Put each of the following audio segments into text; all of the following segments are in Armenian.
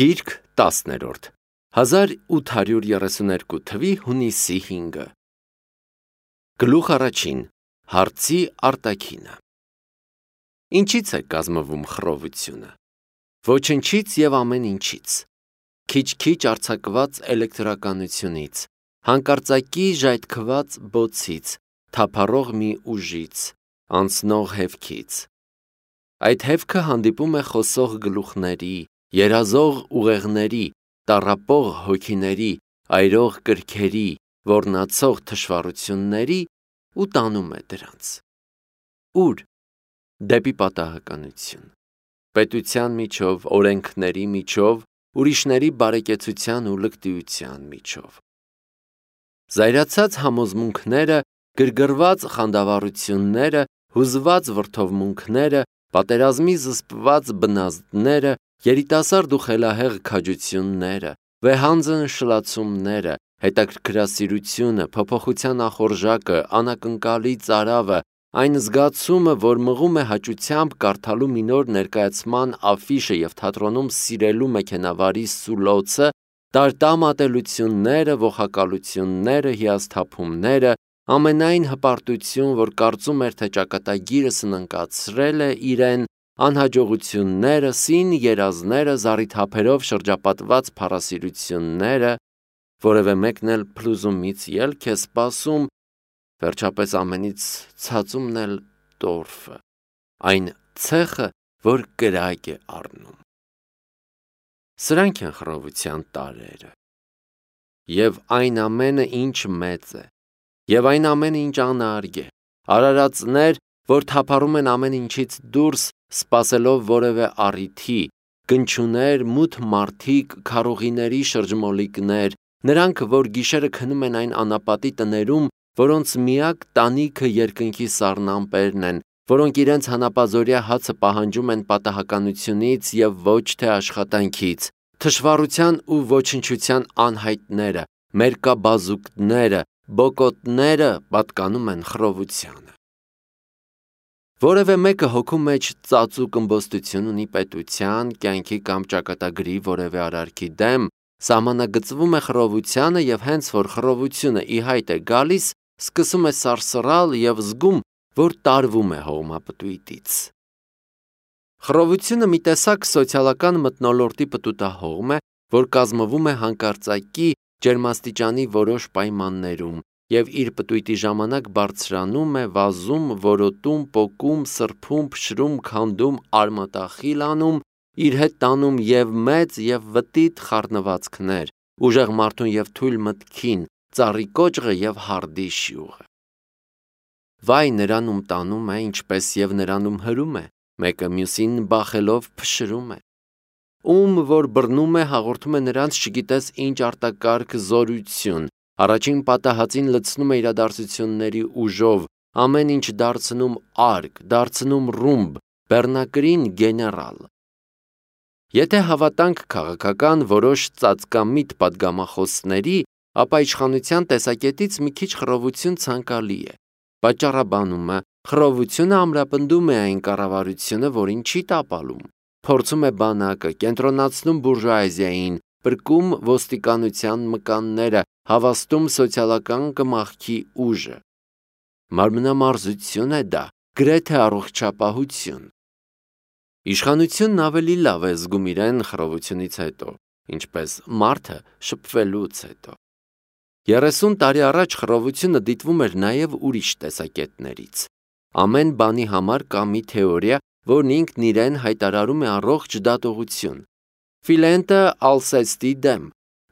Գիրք 10-րդ 1832 թվի հունիսի 5-ը Գլուխ առաջին Հարցի արտաքինը Ինչից է կազմվում խռովությունը Ոչնչից և ամեն ինչից Քիչ-քիչ արձակված էլեկտրականությունից Հանկարծակի ժայթքված բոցից Թափառող մի ուժից Անցնող հևքից Այդ հևքը հանդիպում է խոսող գլուխների Երազող ուղեղների, տառապող հոգիների, այրող կրքերի, ոռնացող թշվառությունների ու տանում է դրանց։ Ուր? Դեպի պատահականություն։ Պետության միջով, օրենքների միջով, ուրիշների բարեկեցության ու լկտիության միջով։ Զայրացած համոզմունքները, գրգռված խանդավառությունները, հուզված վրդովմունքները, պատերազմի զսպված բնազդները, երիտասարդ ու խելահեղ քաջությունները, վեհանձն շլացումները, հետաքրքրասիրությունը, փոփոխության ախորժակը, անակնկալի ծարավը, այն զգացումը, որ մղում է հաճությամբ կարդալու մի նոր ներկայացման աֆիշը և թատրոնում սիրելու մեքենավարի սուլոցը, տարտամ ատելությունները, ողակալությունները, հիասթափումները, ամենայն հպարտություն, որ կարծում էր, թե ճակատագիրը սննկացրել է իրեն, անհաջողությունները, սին երազները, զառիթափերով շրջապատված փառասիրությունները, որևէ մեկն էլ փլուզումից ելք է սպասում, վերջապես ամենից ցածումն էլ տորֆը, այն ցեխը, որ կրակ է առնում։ Սրանք են խռովության տարրերը։ Եվ այն ամենը, ինչ մեծ է, և այն ամենը, ինչ անարգ է, արարածներ, որ թափառում են ամեն ինչից դուրս, սպասելով որևէ առիթի, կնչուներ, մութ մարդիկ, քարուղիների շրջմոլիկներ, նրանք, որ գիշերը քնում են այն անապատի տներում, որոնց միակ տանիքը երկնքի սառնամպերն են, որոնք իրենց հանապազօրյա հացը պահանջում են պատահականությունից և ոչ թե աշխատանքից, թշվառության ու ոչնչության անհայտները, մերկաբազուկները, բոկոտները պատկանում են խռովությանը։ Որևէ մեկը հոգու մեջ ծածուկ ըմբոստություն ունի պետության, կյանքի կամ ճակատագրի որևէ արարքի դեմ, սահմանագծվում է խռովությանը և հենց որ խռովությունը ի հայտ է գալիս, սկսում է սարսռալ և զգում, որ տարվում է հողմապտույտից։ Խռովությունը մի տեսակ սոցիալական մթնոլորտի պտուտահողմ է, որ կազմվում է հանկարծակի ջերմաստիճանի որոշ պայմաններում և իր պտույտի ժամանակ բարձրանում է, վազում, որոտում, պոկում, սրբում, փշրում, քանդում, արմատախիլ անում, իր հետ տանում և մեծ և վտիտ խառնվածքներ, ուժեղ մարդուն և թույլ մտքին, ծառի կոճղը և հարդի շյուղը։ Վայ նրան ում տանում է, ինչպես և նրան ում հրում է, մեկը մյուսին բախելով փշրում է։ Ում որ բռնում է, հաղորդում է նրանց չգիտես ինչ արտակարգ զորություն, առաջին պատահածին լցնում է իրադարձությունների ուժով, ամեն ինչ դարձնում արկ, դարձնում ռումբ, բեռնակրին գեներալ։ Եթե հավատանք քաղաքական որոշ ծածկամիտ պատգամախոսների, ապա իշխանության տեսակետից մի քիչ խռովություն ցանկալի է։ Պատճառաբանումը, խռովությունը ամրապնդում է այն կառավարությունը, որին չի տապալում, փորձում է բանակը, կենտրոնացնում բուրժուազիային, փրկում ոստիկանության մկանները, հավաստում սոցիալական կմախքի ուժը։ Մարմնամարզություն է դա, գրեթե առողջապահություն։ Իշխանությունն ավելի լավ է զգում իրեն խռովությունից հետո, ինչպես մարդը շփվելուց հետո։ 30 տարի առաջ խռովությունը դիտվում էր նաև ուրիշ տեսակետներից։ Ամեն բանի համար կա մի թեորիա, որն ինքն իրեն հայտարարում է առողջ դատողություն։ Ֆիլենտը Ալսեստի դեմ,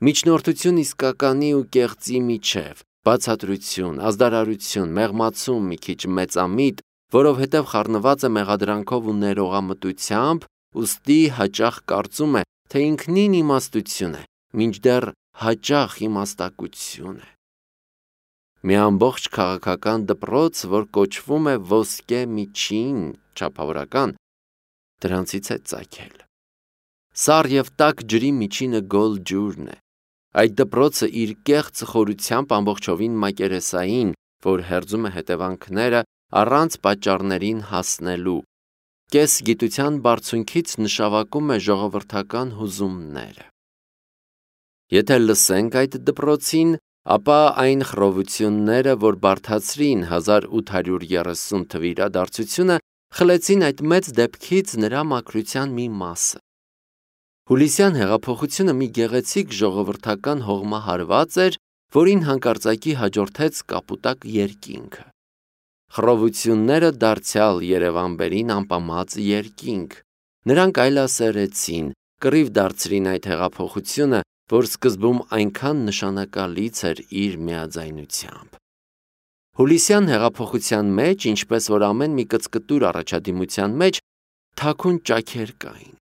միջնորդություն իսկականի ու կեղծի միջև, բացատրություն, ազդարարություն, մեղմացում մի քիչ մեծամիտ, որովհետև խառնված է մեղադրանքով ու ներողամտությամբ, ուստի հաճախ կարծում է, թե ինքնին իմաստություն է, մինչդեռ հաճախ իմաստակություն է։ Մի ամբողջ քաղաքական դպրոց, որ կոչվում է ոսկե միջին, չափավորական, դրանցից է ծագել։ Սառ և տաք ջրի միջինը գոլ ջուրն է։ Այդ դպրոցը իր կեղծ խորությամբ ամբողջովին մակերեսային, որ հերձում է հետևանքները առանց պատճառներին հասնելու, կես գիտության բարձունքից նշանակում է ժողովրդական հուզումները։ Եթե լսենք այդ դպրոցին, ապա այն խռովությունները, որ բարդացրին 1830 թվի իրադարձությունը, խլեցին այդ մեծ դեպքից նրա մաքրության մի մասը։ Հուլիսյան հեղափոխությունը մի գեղեցիկ ժողովրդական հողմահարված էր, որին հանկարծակի հաջորդեց կապուտակ երկինքը։ Խռովությունները դարձյալ Երևանբերին ամպամած երկինք։ Նրանք այլասերեցին, կռիվ դարձրին այդ հեղափոխությունը, որ սկզբում այնքան նշանակալից էր իր միաձայնությամբ։ Հուլիսյան հեղափոխության մեջ, ինչպես որ ամեն մի կծկտուր առաջադիմության մեջ, թաքուն ճաքեր կային։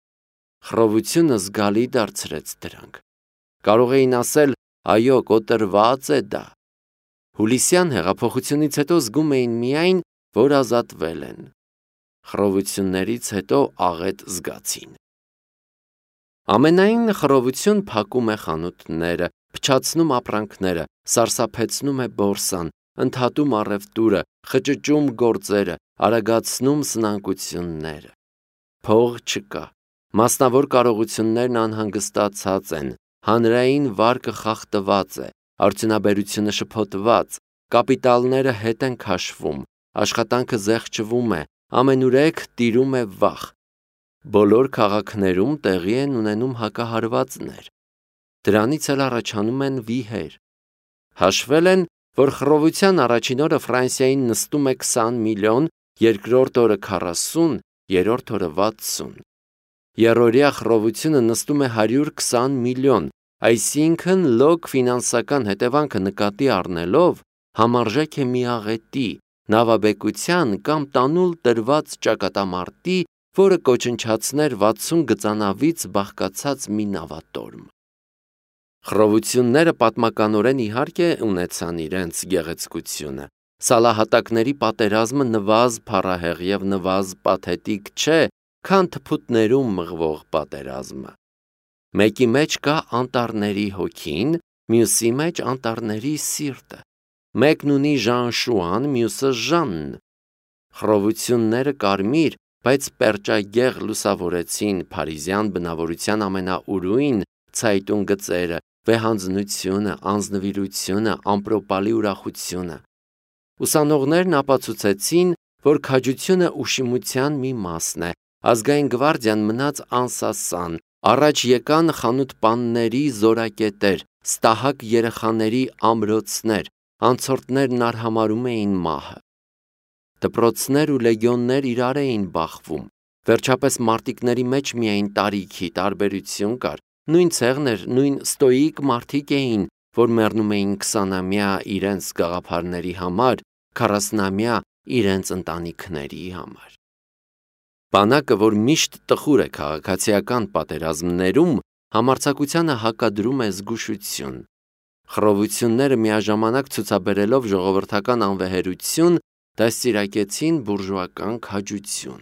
Խռովությունը զգալի դարձրեց դրանք։ Կարող էին ասել, այո, կոտրված է դա։ Հուլիսյան հեղափոխությունից հետո զգում էին միայն, որ ազատվել են։ Խռովություններից հետո աղետ զգացին։ Ամենայն խռովություն փակում է խանութները, փչացնում ապրանքները, սարսափեցնում է բորսան, ընդհատում առևտուրը, խճճում գործերը, արագացնում սնանկությունները։ Փող չկա, մասնավոր կարողություններն անհանգստացած են, հանրային վարկը խախտված է, արդյունաբերությունը շփոթված, կապիտալները հետ են քաշվում, աշխատանքը զեղչվում է, ամենուրեք տիրում է վախ։ Բոլոր քաղաքներում տեղի են ունենում հակահարվածներ։ Դրանից էլ առաջանում են վիհեր։ Հաշվել են, որ խռովության առաջին օրը Ֆրանսիային նստում է 20 միլիոն, երկրորդ օրը 40, երրորդ օրը 60։ Երրորդյա խռովությունը նստում է 120 միլիոն, այսինքն լոկ ֆինանսական հետևանքը նկատի առնելով համարժեք է մի աղետի, նավաբեկության կամ տանուլ տրված ճակատամարտի, որը կոչնչացներ 60 գծանավից բաղկացած մի նավատորմ։ Խռովությունները պատմականորեն իհարկե ունեցան իրենց գեղեցկությունը։ Սալահատակների պատերազմը նվազ փառահեղ և նվազ պաթետիկ չէ, քան թփուտներում մղվող պատերազմը։ Մեկի մեջ կա անտառների հոգին, մյուսի մեջ անտառների սիրտը։ Մեկն ունի Ժան-Շուան, մյուսը Ժանն։ Խռովությունները կարմիր, բայց պերճագեղ լուսավորեցին փարիզյան բնավորության ամենաուրույն ցայտուն գծերը, վեհանձնությունը, անձնվիրությունը, ամպրոպալի ուրախությունը։ Ուսանողներն ապացուցեցին, որ քաջությունը ուշիմության մի մասն է, ազգային գվարդիան մնաց անսասան, առաջ եկան խանութպանների զորակետեր, ստահակ երեխաների ամրոցներ, անցորդներն արհամարհում էին մահը։ Դպրոցներ ու լեգիոններ իրար էին բախվում, վերջապես մարտիկների մեջ միայն տարիքի տարբերություն կար, նույն ցեղներ, նույն ստոիկ մարդիկ էին, որ մեռնում էին 20-ամյա իրենց գաղափարների համար, 40-ամյա իրենց ընտանիքների համար։ Բանակը, որ միշտ տխուր է քաղաքացիական պատերազմներում, համարձակությանը հակադրում է զգուշություն։ Խռովությունները միաժամանակ ցուցաբերելով ժողովրդական անվեհերություն, դաստիարակեցին բուրժուական քաջություն։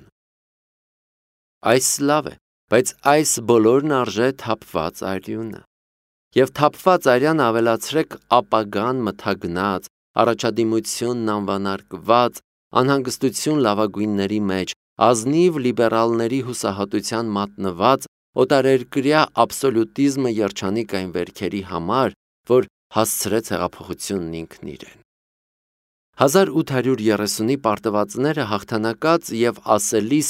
Այս լավ է, բայց այս բոլորն արժե թափված արյունը։ Եվ թափված արյանը ավելացրեք ապագան մթագնած, առաջադիմությունն անվանարկված, անհանգստություն լավագույնների մեջ, ազնիվ լիբերալների հուսահատության մատնված, օտարերկրյա աբսոլյուտիզմը երջանիկ այն վերքերի համար, որ հասցրեց հեղափոխությունն ինքն իրեն։ 1830-ի պարտվածները հաղթանակած և ասելիս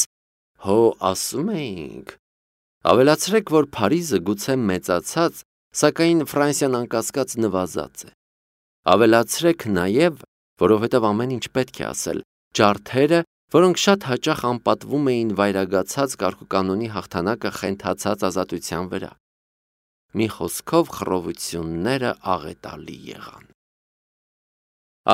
հո ասում էինք, ավելացրեք, որ Փարիզը գուցե մեծացած, սակայն Ֆրանսիան անկասկած նվազած է։ Ավելացրեք նաև, որովհետև ամեն ինչ պետք է ասել, ջարդերը, որոնք շատ հաճախ անպատվում էին վայրագացած կարգուկանոնի հաղթանակը խենթացած ազատության վրա։ Մի խոսքով խռովությունները աղետալի եղան։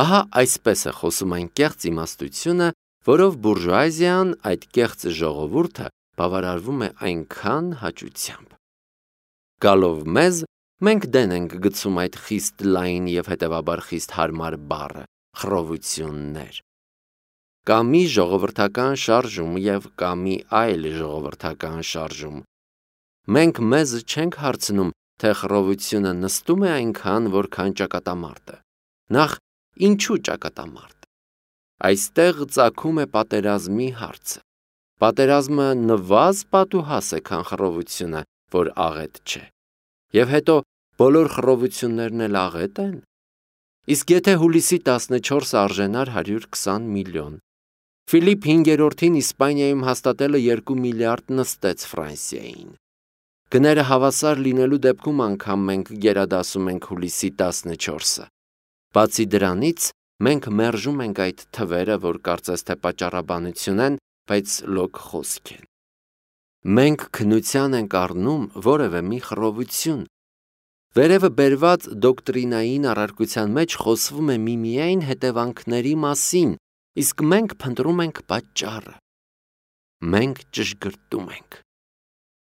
Ահա այսպես է խոսում այն կեղծ իմաստությունը, որով բուրժուազիան, այդ կեղծ ժողովուրդը, բավարարվում է այնքան հաճությամբ։ Գալով մեզ, մենք դեն ենք գցում այդ խիստ լայն և հետևաբար խիստ հարմար բառը՝ խռովություններ։ Կա մի ժողովրդական շարժում և կա մի այլ ժողովրդական շարժում։ Մենք մեզ չենք հարցնում, թե խռովությունը նստում է այնքան, որքան ճակատամարտը։ Նախ, ինչու ճակատամարտ։ Այստեղ ծագում է պատերազմի հարցը։ Պատերազմը նվազ պատուհաս է, քան խռովությունը, որ աղետ չէ։ Եվ հետո բոլոր խռովություններն էլ աղետ են։ Իսկ եթե հուլիսի 14-ը արժենար 120 միլիոն, Ֆիլիպ 5-րդին Իսպանիայում հաստատելը 2 միլիարդ նստեց Ֆրանսիային։ Գները հավասար լինելու դեպքում անգամ մենք գերադասում ենք հուլիսի 14-ը։ Բացի դրանից, մենք մերժում ենք այդ թվերը, որ կարծես թե պատճառաբանություն են, բայց լոկ խոսք են։ Մենք քննության ենք առնում որևէ մի խռովություն։ Վերևը բերված դոկտրինային առարկության մեջ խոսվում է միմիայն հետևանքների մասին, իսկ մենք փնտրում ենք պատճառը։ Մենք ճշգրտում ենք։